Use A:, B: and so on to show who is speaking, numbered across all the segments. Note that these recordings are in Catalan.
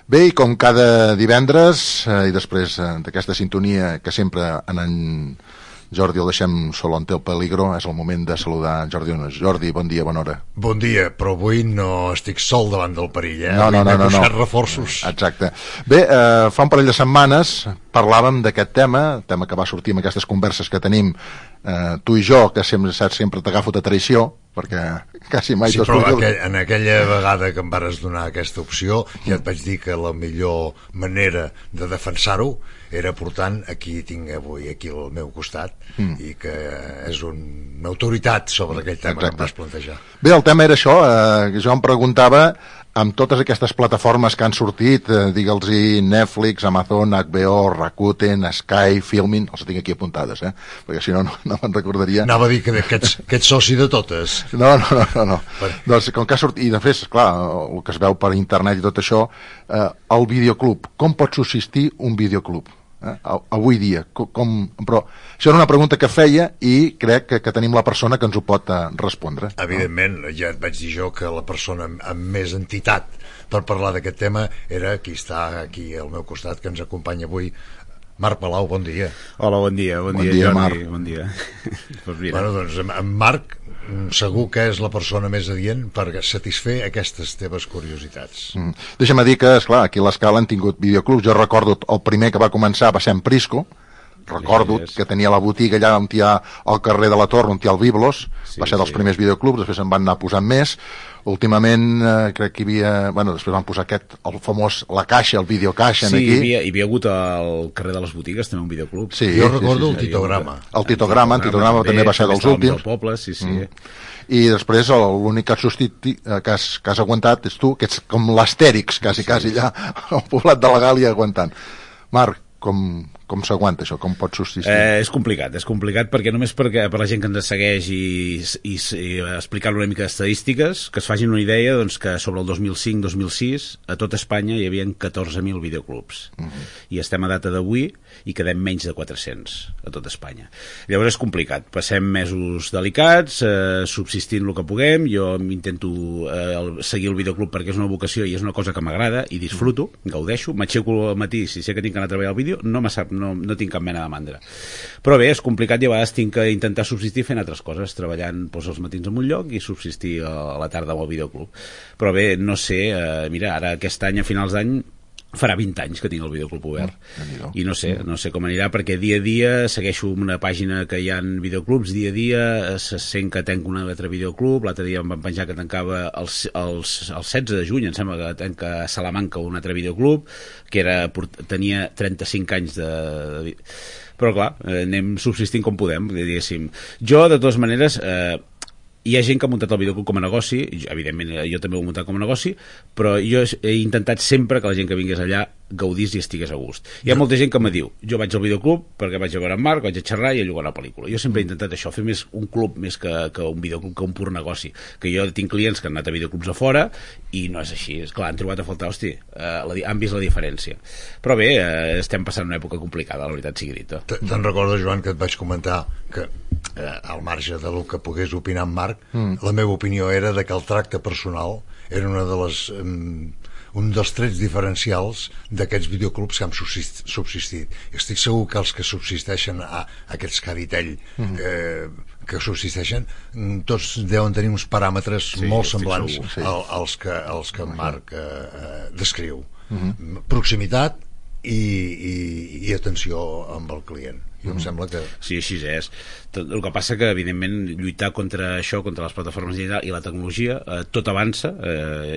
A: Bé, i com cada divendres, i després d'aquesta sintonia que sempre en Jordi el deixem sol on té el peligro, és el moment de saludar en Jordi Ones. Jordi, bon dia, bona hora.
B: Bon dia, però avui no estic sol davant del perill,
A: No.
B: M'he buscat reforços.
A: Exacte. Bé, fa un parell de setmanes parlàvem d'aquest tema que va sortir amb aquestes converses que tenim tu i jo, que sempre t'agafo de traïció, perquè quasi mai
B: sí, però en aquella vegada que em vares donar aquesta opció ja et vaig dir que la millor manera de defensar-ho era portant aquí tinc avui aquí al meu costat i que és una autoritat sobre aquell tema. Exacte. Que em vas plantejar.
A: Bé, el tema era això, jo em preguntava amb totes aquestes plataformes que han sortit, digue'ls-hi Netflix, Amazon, HBO, Rakuten, Sky, Filmin, els tinc aquí apuntades, perquè si no me'n recordaria.
B: Anava a dir que ets soci de totes.
A: No. Doncs com que ha sortit, i després, clar, el que es veu per internet i tot això, el videoclub, com pot subsistir un videoclub? Avui dia, però això era una pregunta que feia i crec que tenim la persona que ens ho pot respondre.
B: Evidentment, ja et vaig dir jo que la persona amb més entitat per parlar d'aquest tema era qui està aquí al meu costat, que ens acompanya avui, Marc Palau. Bon dia.
C: Hola, bon dia Jordi,
A: Marc.
C: Bon dia.
B: Bueno, doncs en Marc segur que és la persona més adient per satisfer aquestes teves curiositats.
A: Deixa'm dir que, esclar, aquí a l'Escala han tingut videoclubs. Jo recordo el primer que va començar va ser en Prisco. Recordo que tenia la botiga allà on hi ha al carrer de la Torre, on hi ha el Biblos. Va ser dels primers videoclubs, després en van anar posant més. Últimament crec que hi havia... Bueno, després van posar el famós La Caixa, el Videocaixa, aquí.
C: Sí, hi havia hagut al carrer de les botigues també un videoclub.
B: Sí, jo recordo el Titograma.
A: El Titograma també va ser dels últims.
C: Del poble, sí.
A: I després l'únic que has aguantat és tu, que ets com l'Astèrix, quasi allà al poblat de la Gàlia aguantant. Marc, com s'aguanta això? Com pot subsistir?
C: És complicat perquè només per la gent que ens segueix i explicar-lo una mica d'estadístiques, que es facin una idea, doncs, que sobre el 2005-2006 a tot Espanya hi havia 14.000 videoclubs i estem a data d'avui i quedem menys de 400 a tot Espanya. Llavors és complicat, passem mesos delicats, subsistint el que puguem. Jo intento seguir el videoclub perquè és una vocació i és una cosa que m'agrada i disfruto, gaudeixo, m'aixeco al matí, si sé que tinc que anar a treballar al vídeo no tinc cap mena de mandra, però bé, és complicat i a vegades tinc que intentar subsistir fent altres coses, treballant els matins en un lloc i subsistir a la tarda amb el videoclub. Però bé, no sé, mira, ara aquest any, a finals d'any farà 20 anys que tinc el videoclub obert i no sé com anirà, perquè dia a dia segueixo una pàgina que hi ha videoclubs, dia a dia se sent que tenc un altre videoclub. L'altre dia em van penjar que tancava el 16 de juny, em sembla que tanca a Salamanca un altre videoclub que tenia 35 anys però clar, anem subsistint com podem, diguéssim. Jo, de totes maneres, hi ha gent que ha muntat el videoclub com a negoci, evidentment jo també ho he muntat com a negoci, però jo he intentat sempre que la gent que vingués allà gaudís i estigués a gust. Hi ha molta gent que me diu, jo vaig al videoclub perquè vaig a veure en Marc, vaig a xerrar i a llogar una pel·lícula. Jo sempre he intentat això, fer més un club més que un videoclub, que un pur negoci. Que jo tinc clients que han anat a videoclubs a fora i no és així. És clar, han trobat a faltar, han vist la diferència. Però bé, estem passant una època complicada, la veritat sigui dita.
B: Te'n recordes, Joan, que et vaig comentar que al marge del que pogués opinar en Marc, la meva opinió era de que el tracte personal era un dels trets diferencials d'aquests videoclubs que han subsistit. Estic segur que els que subsisteixen aquests caritell que subsisteixen, tots deuen tenir uns paràmetres molt semblants als que en Marc descriu. Proximitat i atenció amb el client. Jo em sembla que...
C: Sí, així és. El que passa que, evidentment, lluitar contra això, contra les plataformes i la tecnologia, tot avança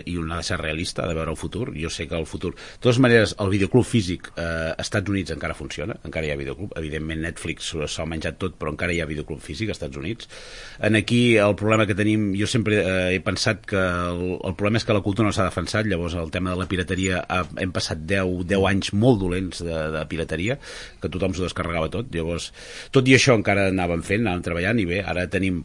C: i un ha de ser realista, ha de veure el futur. Jo sé que el futur... De totes maneres, el videoclub físic als Estats Units encara funciona, encara hi ha videoclub. Evidentment, Netflix s'ha menjat tot, però encara hi ha videoclub físic als Estats Units. Aquí, el problema que tenim... Jo sempre he pensat que el problema és que la cultura no s'ha defensat, llavors el tema de la pirateria hem passat 10 anys molt dolents de pirateria, que tothom s'ho descarregava tot. Llavors, tot i això encara anàvem treballant, i bé, ara tenim,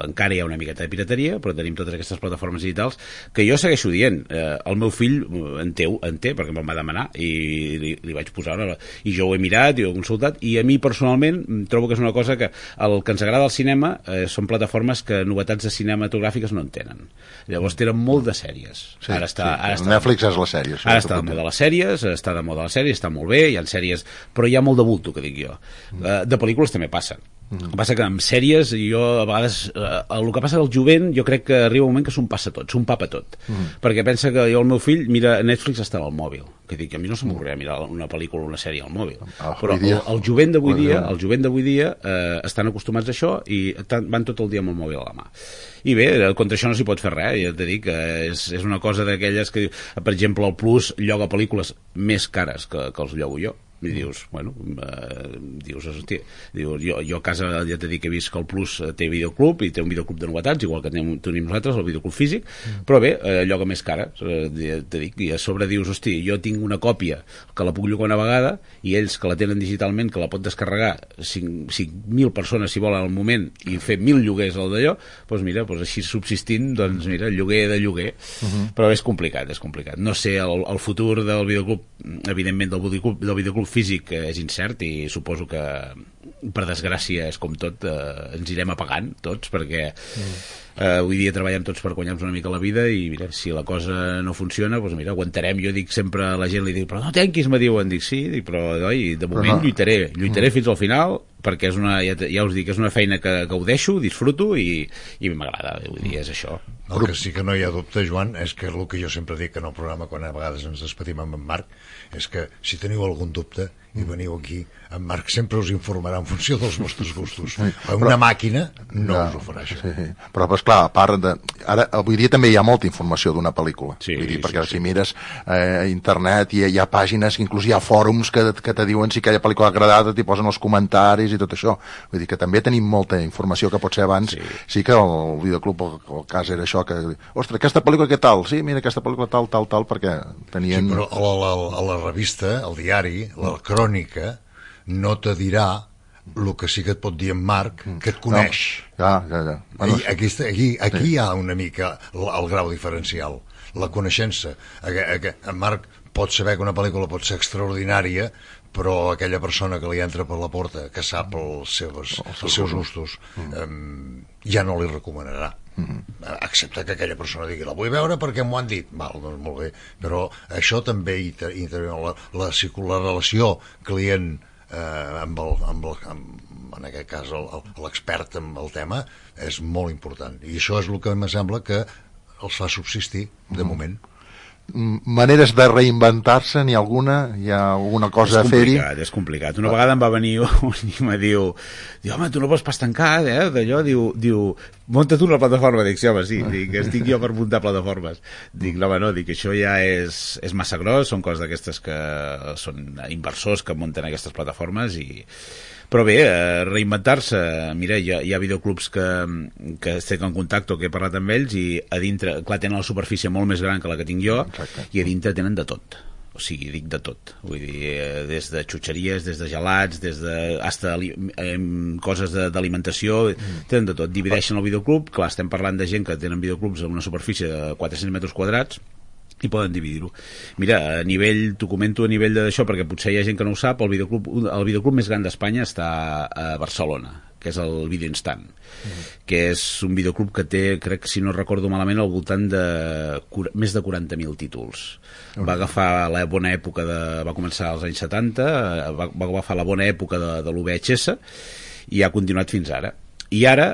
C: encara hi ha una miqueta de pirateria, però tenim totes aquestes plataformes digitals que jo segueixo dient. El meu fill en té, perquè me'n va demanar, i li vaig posar i jo ho he mirat i ho he consultat, i a mi personalment trobo que és una cosa que el que ens agrada al cinema són plataformes que novetats de cinematogràfiques no en tenen. Llavors tenen molt de sèries.
A: Sí, ara Netflix és la sèrie.
C: Ara està de moda les sèries, està molt bé, hi ha sèries, però hi ha molt de bulto, que dic jo. De pel·lícules també passen. El que passa que amb sèries, jo a vegades el que passa del jovent, jo crec que arriba un moment que s'ho passa tot, s'ho empapa tot, perquè pensa que el meu fill mira Netflix està al mòbil, que dic, a mi no se m'ocorreria mirar una pel·lícula o una sèrie al mòbil, però el jovent d'avui dia estan acostumats a això i van tot el dia amb el mòbil a la mà. I bé, contra això no s'hi pot fer res, ja t'he dit que és una cosa d'aquelles que, per exemple, el Plus lloga pel·lícules més cares que els llogo jo. I dius, hòstia, jo a casa ja t'he dit que he vist que el Plus té videoclub i té un videoclub de novetats, igual que tenim nosaltres, el videoclub físic, però bé, lloga més cara, t'he dit, i a sobre dius, hosti, jo tinc una còpia que la puc llogar una vegada i ells que la tenen digitalment, que la pot descarregar 5.000 persones si volen al moment i fer 1.000 lloguers al d'allò, doncs mira, així subsistint, doncs mira, lloguer de lloguer, però és complicat. No sé, el futur del videoclub, evidentment del videoclub físic és incert i suposo que per desgràcia és com tot, ens irem apagant tots perquè avui dia treballem tots per guanyar-nos una mica la vida i mira, si la cosa no funciona, doncs mira, aguantarem. Jo dic sempre a la gent, li dic, però no tanquis, me diuen, dic sí, però de moment lluitaré fins al final perquè és ja us dic, és una feina que ho deixo, disfruto i m'agrada, vull dir, és això.
B: El que sí que no hi ha dubte, Joan, és que el que jo sempre dic en el programa quan a vegades ens despedim amb en Marc és que si teniu algun dubte i veniu aquí, en Marc sempre us informarà en funció dels vostres gustos. Una màquina no us ho farà això.
A: Sí. Però clar, a part ara, avui dia també hi ha molta informació d'una pel·lícula, perquè si mires a internet hi ha pàgines, inclús hi ha fòrums que te diuen si aquella pel·lícula ha agradat, t'hi posen els comentaris i tot això, vull dir que també tenim molta informació que potser abans sí que el videoclub, el cas era això que, ostres, aquesta pel·lícula què tal? Sí, mira, aquesta pel·lícula tal, perquè tenien...
B: Sí, però a la revista, al diari, la crònica no te dirà el que sí que et pot dir en Marc, que et coneix.
A: Ja.
B: Bueno, aquí hi ha una mica el grau diferencial, la coneixença. En Marc pot saber que una pel·lícula pot ser extraordinària, però aquella persona que li entra per la porta, que sap els seus gustos, ja no li recomanarà. Excepte que aquella persona digui, la vull veure perquè m'ho han dit. Val, doncs molt bé. Però això també intervé la relació client en aquest cas l'expert en el tema és molt important i això és el que em sembla que els fa subsistir de moment.
A: Maneres de reinventar-se, n'hi ha alguna? Hi ha alguna cosa a fer-hi?
C: És complicat. Una vegada em va venir un i em diu, home, tu no pots pas tancar, d'allò, diu, munta tu una plataforma. Dic, sí, home, sí, estic jo per muntar plataformes. Dic, no, dic, això ja és massa gros, són coses d'aquestes que són inversors que munten aquestes plataformes però bé, reinventar-se, mira, hi ha videoclubs que estic en contacte o que he parlat amb ells i a dintre, clar, tenen la superfície molt més gran que la que tinc jo. Exacte. I a dintre tenen de tot. O sigui, dic de tot, vull dir, des de xutxeries, des de gelats, des de hasta coses d'alimentació, tenen de tot. Divideixen el videoclub, clar, estem parlant de gent que tenen videoclubs amb una superfície de 400 metres quadrats i poden dividir-ho. Mira, t'ho comento a nivell d'això perquè potser hi ha gent que no ho sap, el videoclub més gran d'Espanya està a Barcelona, que és el Video Instant, que és un videoclub que té, crec, si no recordo malament, al voltant de més de 40.000 títols. Va agafar la bona època va començar als anys 70, va agafar la bona època de l'UVHS i ha continuat fins ara. I ara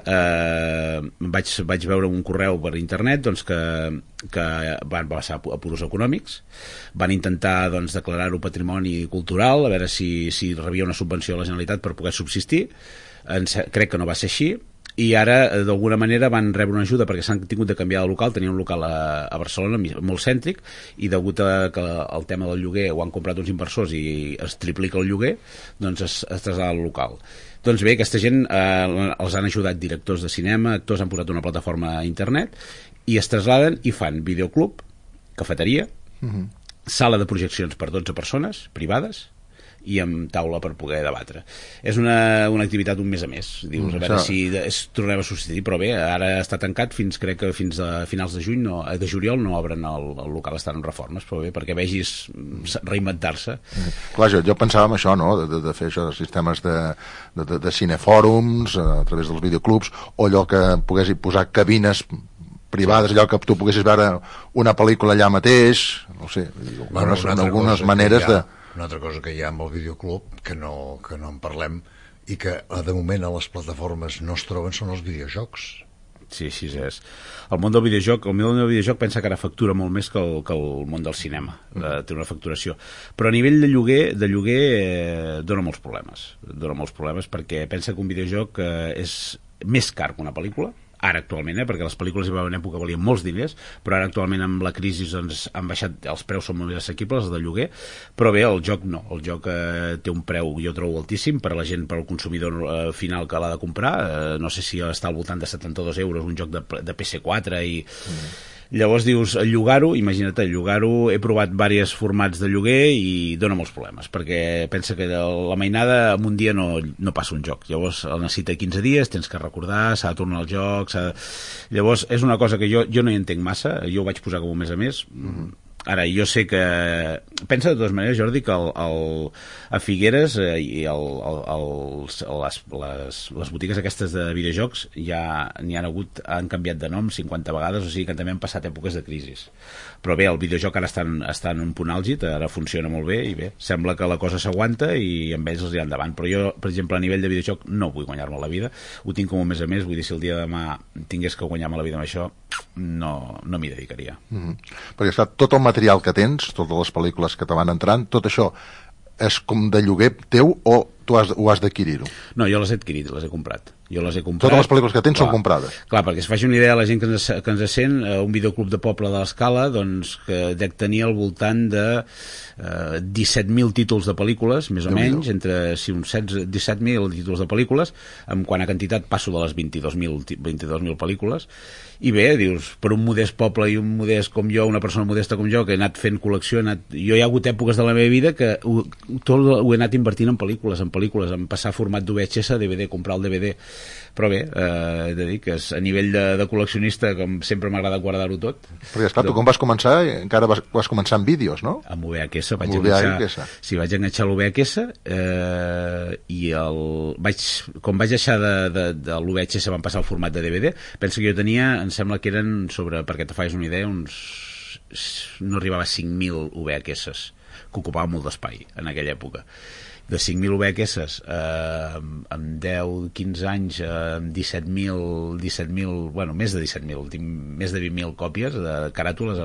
C: vaig veure un correu per internet doncs, que van passar a puros econòmics, van intentar doncs, declarar-ho patrimoni cultural, a veure si rebia una subvenció a la Generalitat per poder subsistir. Crec que no va ser així, i ara d'alguna manera van rebre una ajuda perquè s'han tingut de canviar de local, tenien un local a Barcelona molt cèntric i degut a que el tema del lloguer ho han comprat uns inversors i es triplica el lloguer, doncs es trasllada al local. Doncs bé, aquesta gent els han ajudat directors de cinema, actors, han posat una plataforma a internet i es trasladen i fan videoclub, cafeteria, sala de projeccions per 12 persones privades i amb taula per poder debatre. És una activitat un mes a més, dius, a veure si tornem a substituir, però bé, ara està tancat crec que fins a finals de juny, de juliol no obren el local, estan en reformes, però bé, perquè vegis reinventar-se.
A: Clar, jo pensava en això, no?, de fer això, sistemes de cinefòrums a través dels videoclubs, o allò que poguessin posar cabines privades, allò que tu poguessis veure una pel·lícula allà mateix, no sé, algunes maneres de...
B: Una altra cosa que hi ha amb el videoclub, que no en parlem, i que de moment a les plataformes no es troben, són els videojocs.
C: Sí, així és. El món del videojoc pensa que ara factura molt més que el món del cinema. Té una facturació. Però a nivell de lloguer dona molts problemes. Dona molts problemes perquè pensa que un videojoc és més car que una pel·lícula, ara actualment, perquè les pel·lícules hi va haver una època que valien molts diners, però ara actualment amb la crisi doncs, han baixat, els preus són molt més assequibles, els de lloguer, però bé, el joc no, el joc té un preu, jo trobo altíssim, per a la gent, per al consumidor final que l'ha de comprar, no sé si està al voltant de 72 euros un joc de PS4 i... Llavors dius, llogar-ho, imagina't, llogar-ho, he provat diversos formats de lloguer i dona molts problemes, perquè pensa que la mainada en un dia no passa un joc, llavors el necessita 15 dies, tens que recordar, s'ha de tornar al joc, llavors és una cosa que jo no hi entenc massa, jo ho vaig posar com un mes a més. Ara, jo sé que... Pensa de totes maneres, Jordi, que a Figueres i les botigues aquestes de videojocs ja han canviat de nom 50 vegades, o sigui que també han passat èpoques de crisi. Però bé, el videojoc ara està en un punt àlgid, ara funciona molt bé i bé, sembla que la cosa s'aguanta i amb ells els hi endavant. Però jo, per exemple, a nivell de videojoc no vull guanyar-me la vida, ho tinc com un mes a més, vull dir, si el dia de demà tingués que guanyar-me la vida amb això, no m'hi dedicaria.
A: Perquè està tot el material que tens, totes les pel·lícules que te van entrant, tot això és com de lloguer teu o tu ho has d'adquirir-ho?
C: No, jo les he adquirit, les he comprat.
A: Totes les pel·lícules que tens són comprades?
C: Clar, perquè es faci una idea a la gent que ens sent, un videoclub de poble de l'Escala doncs, que dec tenir al voltant de 17.000 títols de pel·lícules, més o menys, entre uns 17.000 títols de pel·lícules, en quant a quantitat passo de les 22.000 pel·lícules, i bé, dius, per un modest poble i un modest com jo, una persona modesta com jo, que he anat fent col·lecció, jo hi ha hagut èpoques de la meva vida que tot ho he anat invertint en pel·lícules, en passar format d'VHS a DVD, comprar el DVD, però bé, he de dir que a nivell de col·leccionista, com sempre m'agrada guardar-ho tot.
A: Perquè esclar, tu com vas començar, encara vas començar amb vídeos, no?
C: Amb VHS, vaig enganxar l'VHS i com vaig deixar de l'VHS van passar al format de DVD, penso que jo tenia, em sembla que eren perquè te facis una idea, no arribava a 5.000 VHS, que ocupava molt d'espai en aquella època. De 5.000 VHS amb 10-15 anys amb 17.000, bueno, més de 17.000, tinc més de 20.000 còpies de caràtules de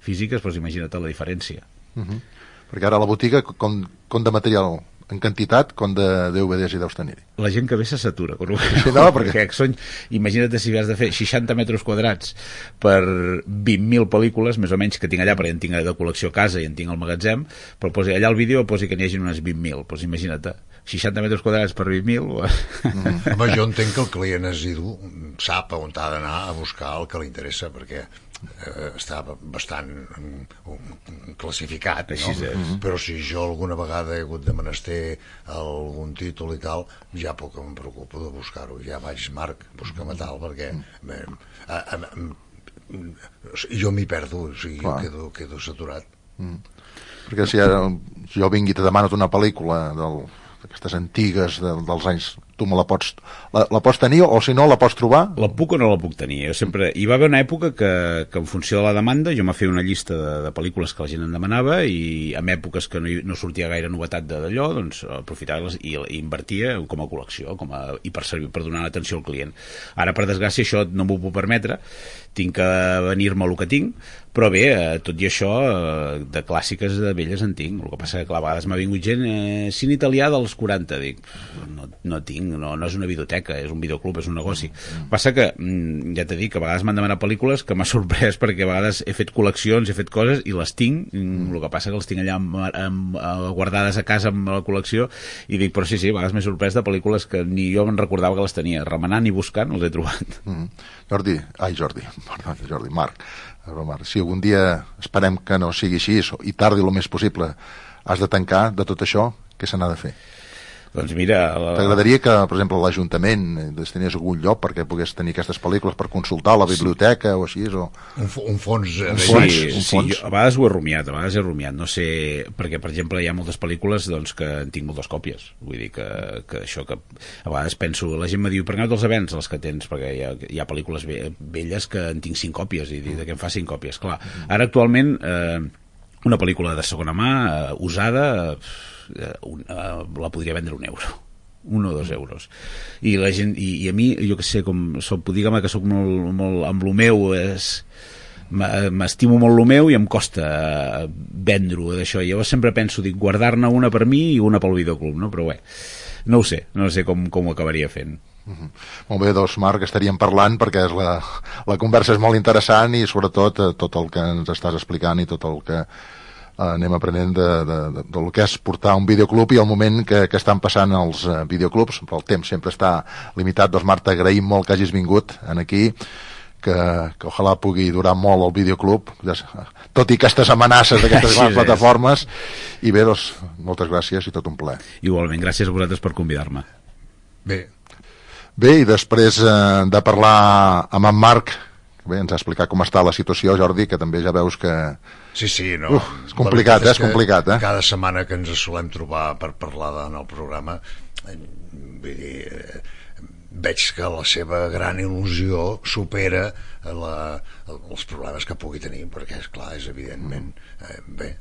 C: físiques, doncs imagina't la diferència.
A: Perquè ara a la botiga com de material en quantitat, com de DVDs hi deus tenir?
C: La gent que ve se s'atura.
A: Sí, no, perquè
C: imagina't si has de fer 60 metres quadrats per 20.000 pel·lícules, més o menys, que tinc allà, perquè en tinc de col·lecció a casa i en tinc al magatzem, però posi allà al vídeo posi que n'hi hagi unes 20.000, doncs imagina't, 60 metres quadrats per 20.000...
B: Home, jo entenc que el client asidu sap on ha d'anar a buscar el que li interessa, perquè està bastant classificat, no? Però si jo alguna vegada he hagut de menester algun títol i tal, ja poc em preocupo de buscar-ho, ja vaig, Marc, busca-me tal, perquè jo m'hi perdo, o sigui, quedo saturat.
A: Perquè si jo vingui i te demano una pel·lícula d'aquestes antigues dels anys, tu me la pots tenir o si no la pots trobar?
C: La puc o no la puc tenir? Jo sempre... Hi va haver una època que en funció de la demanda jo m'ha fet una llista de pel·lícules que la gent em demanava i en èpoques que no sortia gaire novetat d'allò, doncs aprofitava i invertia com a col·lecció i per donar atenció al client. Ara, per desgràcia, això no m'ho puc permetre, tinc que venir-me el que tinc, però bé, tot i això de clàssiques de velles en tinc. El que passa que a vegades m'ha vingut gent cine italià dels 40, dic, no tinc, no és una videoteca, és un videoclub, és un negoci. Passa que, ja t'he dit, que a vegades m'han demanat pel·lícules que m'ha sorprès perquè a vegades he fet col·leccions, he fet coses i les tinc, el que passa que els tinc allà guardades a casa amb la col·lecció i dic, però sí, a vegades m'he sorprès de pel·lícules que ni jo me'n recordava que les tenia, remenant i buscant els he trobat. Marc,
A: si algun dia esperem que no sigui així i tardi el més possible has de tancar de tot això, què se n'ha de fer?
C: Doncs mira...
A: T'agradaria que, per exemple, l'Ajuntament destinies algun lloc perquè pogués tenir aquestes pel·lícules per consultar a la biblioteca o així? O...
B: Un fons...
C: Sí, a vegades ho he rumiat, no sé... Perquè, per exemple, hi ha moltes pel·lícules doncs, que en tinc moltes còpies. Vull dir que això que... A vegades penso... La gent me diu, per què no te'ls vens les que tens? Perquè hi ha pel·lícules velles que en tinc 5 còpies i de què em fa 5 còpies. Clar, ara actualment una pel·lícula de segona mà, usada... la podria vendre €1, 1 o 2 euros, i la gent, i a mi, jo que sé, com soc, digue'm que soc molt amb lo meu, m'estimo molt lo meu i em costa vendre-ho d'això. Llavors sempre penso, dic, guardar-ne una per mi i una pel videoclub, no? Però bé, no ho sé com ho acabaria fent.
A: Molt bé, doncs Marc, estaríem parlant perquè la conversa és molt interessant i sobretot tot el que ens estàs explicant i tot el que anem aprenent del que és portar un videoclub i el moment que estan passant els videoclubs, però el temps sempre està limitat. Doncs Marc, t'agraïm molt que hagis vingut aquí, que ojalà pugui durar molt el videoclub, tot i aquestes amenaces d'aquestes grans plataformes, i bé, doncs, moltes gràcies i tot un plaer.
C: Igualment, gràcies a vosaltres per convidar-me.
A: Bé, i després de parlar amb en Marc, bé, ens ha explicat com està la situació, Jordi, que també ja veus que...
B: Sí, no.
A: És complicat, és complicat,
B: Cada setmana que ens solem trobar per parlar en el programa, vull dir, veig que la seva gran il·lusió supera els problemes que pugui tenir, perquè, esclar, és evidentment... Bé,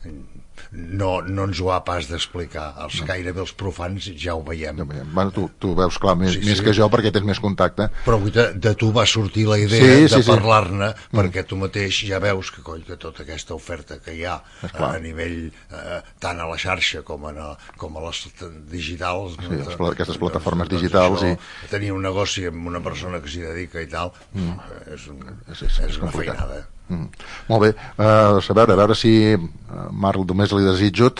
B: no ens ho ha pas d'explicar. Gairebé els profans ja ho veiem.
A: Bueno, tu veus clar més que jo perquè tens més contacte.
B: Però de tu va sortir la idea de parlar-ne, perquè tu mateix ja veus que tota aquesta oferta que hi ha a nivell tant a la xarxa com a les digitals,
A: aquestes plataformes digitals,
B: tenir un negoci amb una persona que s'hi dedica i tal, és una feinada.
A: Molt bé, a veure si Marc, només li desitjo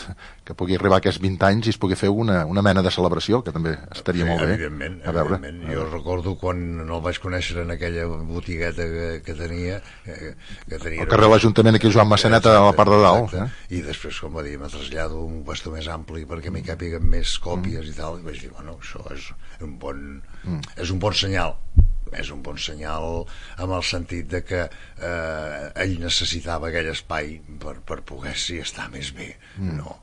A: que pugui arribar a aquests 20 anys i es pugui fer una mena de celebració, que també estaria molt bé.
B: Evidentment. Jo recordo quan el vaig conèixer en aquella botigueta que tenia
A: al carrer de l'Ajuntament, aquí Joan Massaneta a la part de dalt,
B: i després, com va dir, me trasllado un bastó més ampli perquè m'hi càpiguen més còpies i tal, i vaig dir, bueno, això és un bon senyal. És un bon senyal en el sentit de que ell necessitava aquell espai per poder estar més bé, no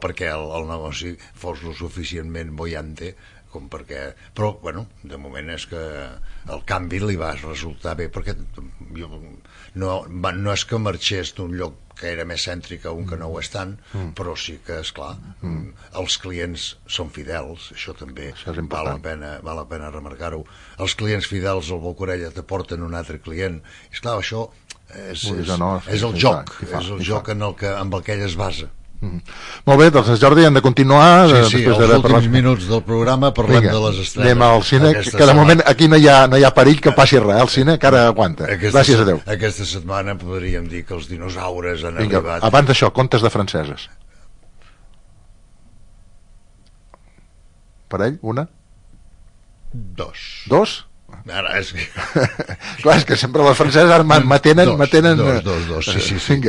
B: perquè el negoci fos lo suficientment bollante com perquè... Però, bueno, de moment és que el canvi li va resultar bé, perquè no és que marxés d'un lloc que era més cèntric a un que no ho és tant, però sí que, esclar, els clients són fidels, això també val la pena remarcar-ho. Els clients fidels al boca orella t'aporten un altre client, i esclar, això és el joc amb el que ell es basa.
A: Molt bé, doncs Jordi, hem de continuar.
B: Els últims minuts del programa parlem de les estrenes.
A: Anem al cine, que de moment aquí no hi ha perill que passi res, el cine encara aguanta. Gràcies a Déu.
B: Aquesta setmana podríem dir que els dinosaures han arribat.
A: Abans d'això, contes de franceses. Per ell, una?
B: Dos? Ara és que...
A: Clar, és que sempre les franceses ara m'atenen...
B: Dos, sí.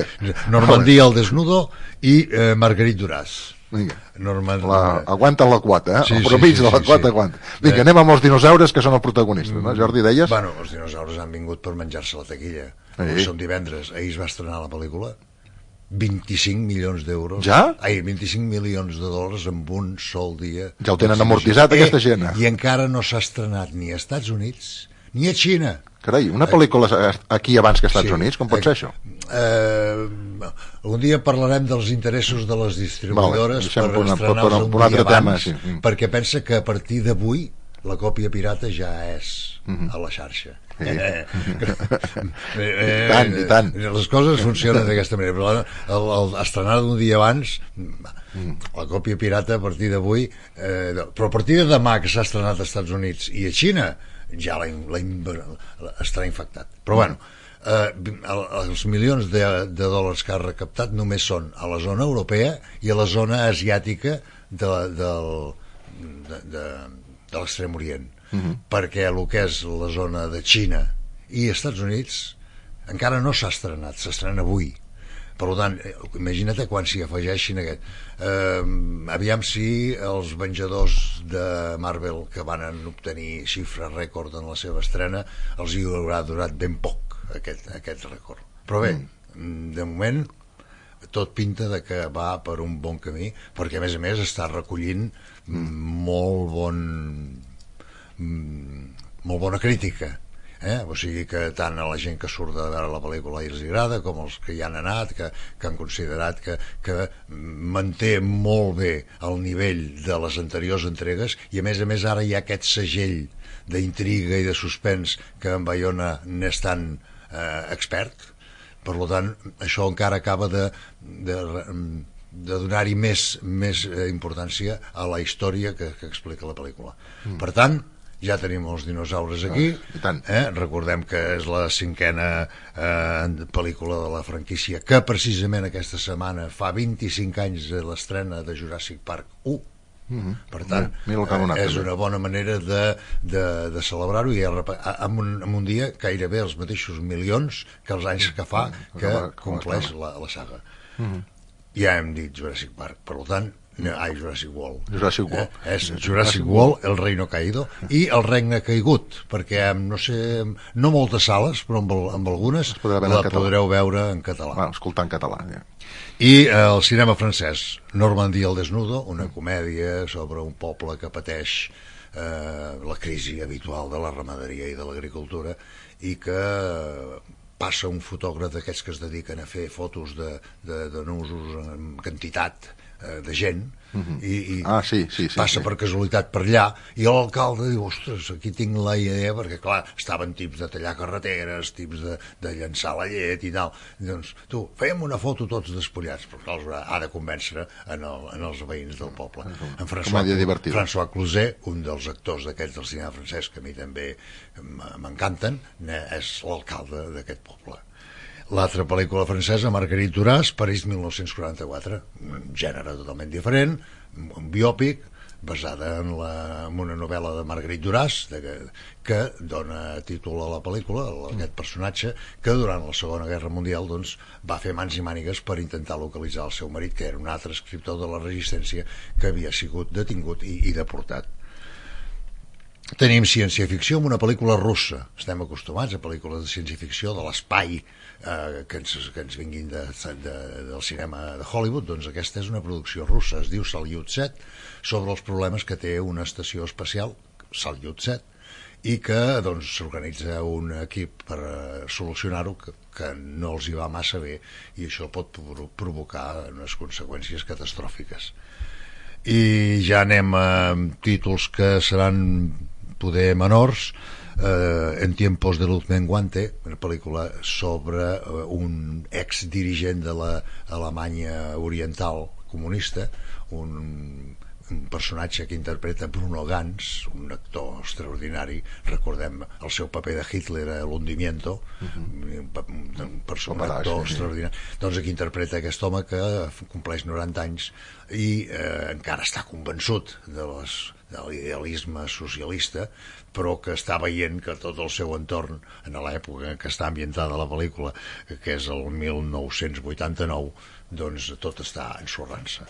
B: Normandia al desnudo i Marguerite Duras.
A: Aguanten la quota, el promig de la quota aguanta. Vinga, anem amb els dinosaures, que són els protagonistes, no, Jordi, deies?
B: Bueno, els dinosaures han vingut per menjar-se la taquilla. Són divendres, ahir es va estrenar la pel·lícula, 25 milions d'euros.
A: Ja?
B: 25 milions de dòlars en un sol dia.
A: Ja ho tenen amortitzat, aquesta gent.
B: I encara no s'ha estrenat ni a Estats Units ni a Xina.
A: Carai, una pel·lícula aquí abans que als Estats Units, com pot ser això?
B: Un dia parlarem dels interessos de les distribuïdores per estrenar-los un dia abans, perquè pensa que a partir d'avui la còpia pirata ja és a la xarxa.
A: I tant.
B: Les coses funcionen d'aquesta manera, però estrenar un dia abans, la còpia pirata a partir d'avui, però a partir de demà que s'ha estrenat als Estats Units i a Xina ja estarà infectat. Però bueno, els milions de dòlars que ha recaptat només són a la zona europea i a la zona asiàtica de l'Extrem Orient, perquè el que és la zona de Xina i Estats Units encara no s'ha estrenat, s'estrena avui. Per tant, imagina't quan s'hi afegeixin aquest. Aviam si els venjadors de Marvel, que van obtenir xifra rècord en la seva estrena, els hi haurà durat ben poc aquest rècord. Però bé, de moment tot pinta de que va per un bon camí, perquè a més està recollint molt bona crítica, o sigui que tant a la gent que surt de veure la pel·lícula els agrada, com els que hi han anat, que han considerat que manté molt bé el nivell de les anteriors entregues, i a més ara hi ha aquest segell d'intriga i de suspens que en Bayona n'és tan expert. Per tant, això encara acaba de donar-hi més importància a la història que explica la pel·lícula. Per tant, ja tenim els dinosaures aquí. Recordem que és la 5a pel·lícula de la franquícia, que precisament aquesta setmana fa 25 anys de l'estrena de Jurassic Park 1. Per tant, és una bona manera de celebrar-ho, i en un dia gairebé els mateixos milions que els anys que fa que compleix la saga. Ja hem dit Jurassic Park, per tant, Jurassic World. És Jurassic World, El Reino Caído i El Regne Caigut, perquè no moltes sales, però amb algunes la podreu veure en català.
A: Escoltar en català, ja.
B: I el cinema francès, Normandie al desnudo, una comèdia sobre un poble que pateix la crisi habitual de la ramaderia i de l'agricultura, i que passa un fotògraf d'aquests que es dediquen a fer fotos de nusos en quantitat de gent, i passa per casualitat per allà, i l'alcalde diu, ostres, aquí tinc la idea, perquè clar, estaven tips de tallar carreteres, tips de llançar la llet i tal, doncs tu, fèiem una foto tots despullats, però clar, ha de convèncer en els veïns del poble. En François Cluzet, un dels actors d'aquests del cinema francès, que a mi també m'encanten, és l'alcalde d'aquest poble. L'altra pel·lícula francesa, Marguerite Duras, París 1944, un gènere totalment diferent, un biòpic basada en una novel·la de Marguerite Duras, que dona títol a la pel·lícula, aquest personatge que durant la Segona Guerra Mundial va fer mans i mànigues per intentar localitzar el seu marit, que era un altre escriptor de la Resistència que havia sigut detingut i deportat. Tenim ciència-ficció amb una pel·lícula russa. Estem acostumats a pel·lícules de ciència-ficció de l'espai que ens vinguin del cinema de Hollywood. Doncs aquesta és una producció russa, es diu Salyut 7, sobre els problemes que té una estació espacial, Salyut 7, i que s'organitza un equip per solucionar-ho, que no els hi va massa bé, i això pot provocar unes conseqüències catastròfiques. I ja anem a títols que seran poder menors. En tiempos de luz menguante, una pel·lícula sobre un exdirigent de l'Alemanya oriental comunista, un personatge que interpreta Bruno Ganz, un actor extraordinari. Recordem el seu paper de Hitler a l'Hundimiento, un personatge extraordinari. Doncs aquí interpreta aquest home que compleix 90 anys i encara està convençut de l'idealisme socialista, però que està veient que tot el seu entorn, en l'època en què està ambientada la pel·lícula, que és el 1989, doncs tot està ensorrant-se.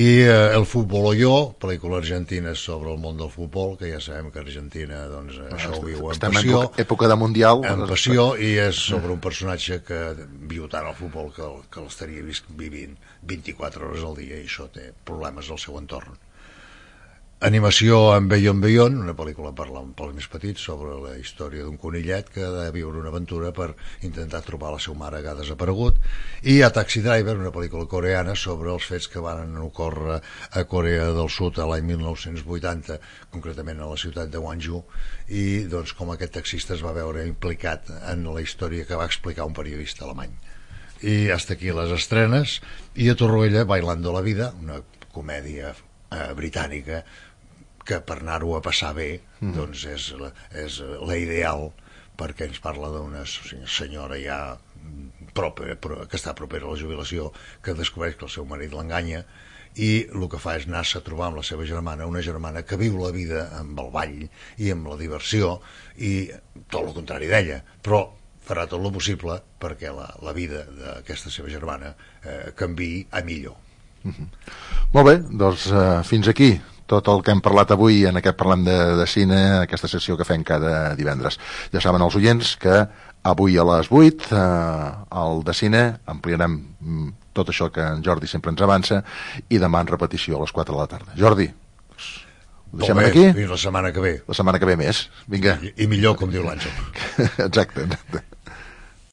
B: I El futbol o jo, pel·lícula argentina sobre el món del futbol, que ja sabem que Argentina això ho viu en passió,
A: època de Mundial,
B: en passió, i és sobre un personatge que viu tant el futbol que l'estaria vivint 24 hores al dia, i això té problemes al seu entorn. Animació en Beyond Beyond, una pel·lícula per als més petits sobre la història d'un conillet que ha de viure una aventura per intentar trobar la seva mare que ha desaparegut. I a Taxi Driver, una pel·lícula coreana sobre els fets que van ocórrer a Corea del Sud a l'any 1980, concretament a la ciutat de Gwangju, i com aquest taxista es va veure implicat en la història que va explicar un periodista alemany. I hasta aquí les estrenes. I a Torroella, Bailando la vida, una comèdia britànica que per anar-ho a passar bé és la ideal, perquè ens parla d'una senyora ja que està propera a la jubilació, que descobreix que el seu marit l'enganya, i el que fa és anar-se a trobar amb la seva germana, una germana que viu la vida amb el ball i amb la diversió, i tot el contrari d'ella, però farà tot el possible perquè la vida d'aquesta seva germana canviï a millor.
A: Molt bé, doncs fins aquí tot el que hem parlat avui en aquest Parlem de Cine, aquesta sessió que fem cada divendres. Ja saben els oients que avui a les 8 al de Cine ampliarem tot això que en Jordi sempre ens avança i demà en repetició a les 4 de la tarda. Jordi, ho deixem aquí?
B: Fins la setmana que ve.
A: La setmana que ve més. Vinga.
B: I millor, com diu l'Àngel.
A: Exacte.